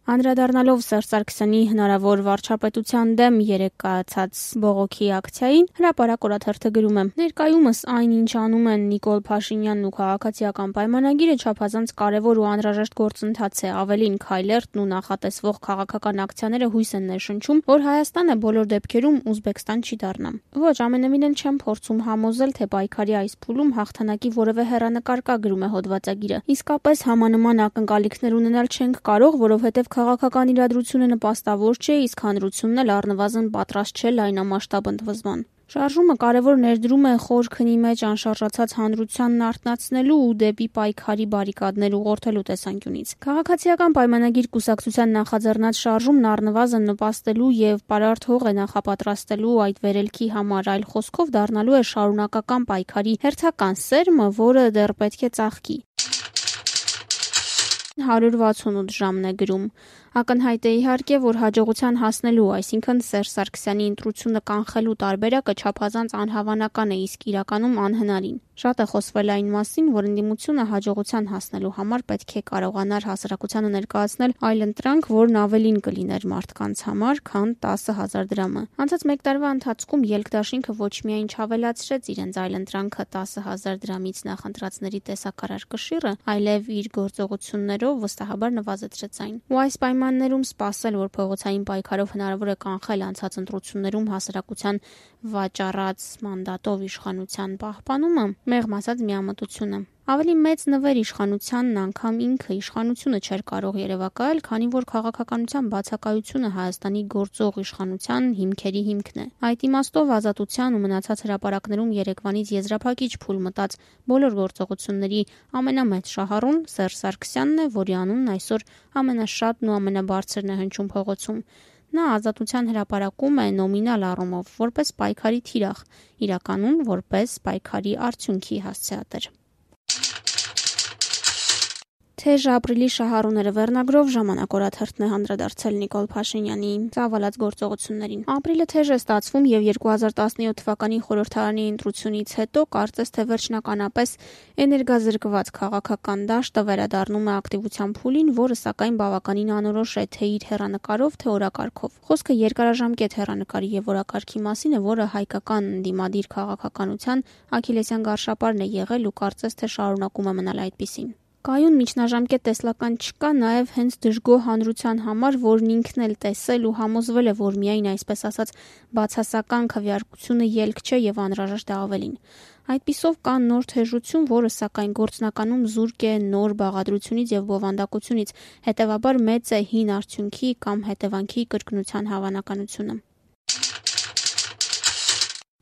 Անդրադառնալով Սերժ Սարգսյանի հնարավոր վարչապետության դեմ երեկ կայացած բողոքի ակցիային, Հրապարակ օրաթերթը գրում է. «Ներկայումս այն, ինչ անում են Նիկոլ Փաշինյանն ու քաղաքացիական պայմանագիրը, չափազանց կարևոր ու անհրաժեշտ գործընթաց է, ավելին Քայլերթն ու նախատեսվող քաղաքական ակցիաները հույս են ներշնչում, որ Հայաստանը բոլոր դեպքերում Ուզբեկստան չի դառնա։ Ոչ, ամենևին էլ չեմ փորձում համոզել, թե պայքարի այս փուլում հաղթանակի որևէ հեռանկար կա», գրում է հոդվածագիրը։ Իսկապես համանման ակնկալիքներ ունենալ չենք կարող, որովհետև քաղաքական իրադրությունը նպաստավոր չէ, իսկ հանրությունն էլ առնվազն պատրաստ չէ լայնամասշտաբ ընդվզման։ Շարժումը կարևոր ներդրում է խոր քնի մեջ անշարժացած հանրությանն արթնացնելու ու դեպի պայքարի բարիկադներ ուղղորդելու տեսանկյունից։ Քաղաքացիական պայմանագիր կուսակցության նախաձեռնած շարժումն առնվազն նպաստելու եւ պարարտ հող է նախապատրաստելու այդ վերելքի համար, այլ խոսքով դառնալու է շարունակական պայքարի հերթական սերմը, որը դեռ պետք է ծաղկի։ 168 ժամն է գրում. Ակնհայտ է իհարկե, որ հաջողության հասնելու, այսինքն Սերժ Սարգսյանի ընտրությունը կանխելու տարբերակը չափազանց անհավանական է, իսկ իրականում անհնարին։ Շատ է խոսվել այն մասին, որ ընդդիմությունը հաջողության հասնելու համար պետք է կարողանար հասարակությանը ներկայացնել այլընտրանք, որն ավելին կլիներ մարդկանց համար, քան 10,000 դրամը։ Անցած մեկ տարվա ընթացքում ելքդաշինքը ոչ միայն չավելացրեց իրենց այլընտրանքը 10,000 դրամից նախընտրածների տեսակարար կշիռը, այլև իր գործողություններով վստահաբար նվազեցրեց այն։ Ու այս պայմաններում սպասել, որ փողոցային պայքարով հնարավոր է կանխել անցած ընտրություններում հասարակության վաճառած մանդատով իշխանության պահպանումը, մեղմ ասած միամտություն է։ Ավելի մեծ նվեր իշխանությանն անգամ ինքը իշխանությունը չէր կարող երևակայել, քանի որ քաղաքականության բացակայությունը Հայաստանի գործող իշխանության հիմքերի հիմքն է։ Այդ իմաստով ազատության ու մնացած հրապարակներում Երևանից եզրափակիչ փուլ մտած բոլոր գործողությունների ամենամեծ շահառուն Սերժ Սարգսյանն է, որի անունն այսօր ամենաշատն ու ամենաբարձրն է հնչում փողոցում։ Նա ազատության հրապարակում է նոմինալ առումով որպես պայքարի թիրախ, իրականում որպես պայքարի արդյունքի հասցեատեր։ Թեժ ապրիլի շահառուները վերնագրով Ժամանակ օրաթերթն է անդրադարձել Նիկոլ Փաշինյանի ծավալած գործողություններին։ Ապրիլը թեժ է ստացվում եւ 2017 թվականի խորհրդարանի ընտրությունից հետո կարծես թե վերջնականապես էներգազրկված քաղաքական դաշտը վերադառնում է ակտիվության փուլին, որը սակայն բավականին անորոշ է թե իր հեռանկարով, թե օրակարգով։ Խոսքը երկարաժամկետ հեռանկարի եւ օրակարգի մասին է, որը հայկական ընդդիմադիր քաղաքականության աքիլեսյան գարշապարն է եղել ու կարծես թե շարունակում է մնալ այդպիսին։ Կայուն միջնաժամկետ տեսլական չկա նաև հենց դժգոհ հանրության համար, որն ինքն էլ տեսել ու համոզվել է, որ միայն այսպես ասած բացասական քվեարկությունը ելք չէ եւ անհրաժեշտ է ավելին։ Այդպիսով կա նոր թեժություն, որը սակայն գործնականում զուրկ է նոր բաղադրությունից եւ բովանդակությունից, հետեւաբար մեծ է հին արդյունքի կամ հետևանքի կրկնության հավանականությունը։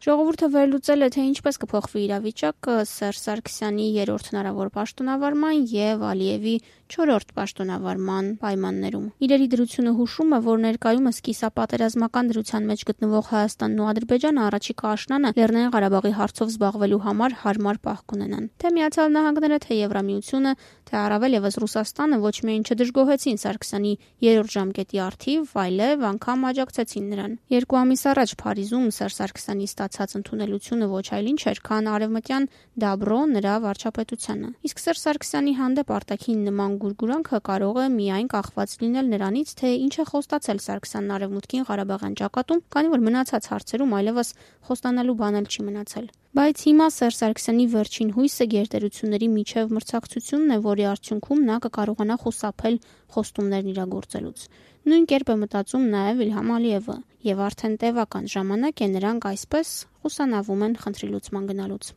Ժողովուրդը վերլուծել է, թե ինչպես կփոխվի իրավիճակը Սերժ Սարգսյանի 3-րդ հնարավոր պաշտոնավարման եւ Ալիևի 4-րդ պաշտոնավարման պայմաններում։ Իրերի դրությունը հուշում է, որ ներկայումս կիսապատերազմական դրության մեջ գտնվող Հայաստանն ու Ադրբեջանը առաջիկա աշնանը Լեռնային Ղարաբաղի հարցով զբաղվելու համար հարմար պահ կունենան։ Թե Միացյալ Նահանգները, թե Եվրամիությունը, թե առավել եւս Ռուսաստանը ոչ միայն չդժգոհեցին Սարգսյանի 3-րդ ժամկետի առթիվ, այլև անգամ աջակցեցին նրան։ 2 ամիս առաջ Փարիզում Սերժ Սարգսյանի ստացած ընդունելությունը ոչ այլ ինչ էր, քան արևմտյան դաբրո նրա վարչապետությանը։ Իսկ Սերժ Սարգսյանի հանդեպ արտաքին նման գուրգուրանքը կարող է միայն կախված լինել նրանից, թե ինչ է խոստացել Սարգսյանն արևմուտքին Ղարաբաղյան ճակատում, քանի որ մնացած հարցերում այլևս խոստանալու բան էլ չի մնացել։ Բայց հիմա Սերժ Սարգսյանի վերջին հույսը գերտերությունների միջև մրցակցությունն է, որի արդյունքում նա կկարողանա խուսափել խոստումներն իրագործելուց։ Նույն կերպ է մտածում նաև Իլհամ Ալիևը, եւ արդեն տևական ժամանակ է նրանք այսպես խուսանավում են խնդրի լուծման գնալուց։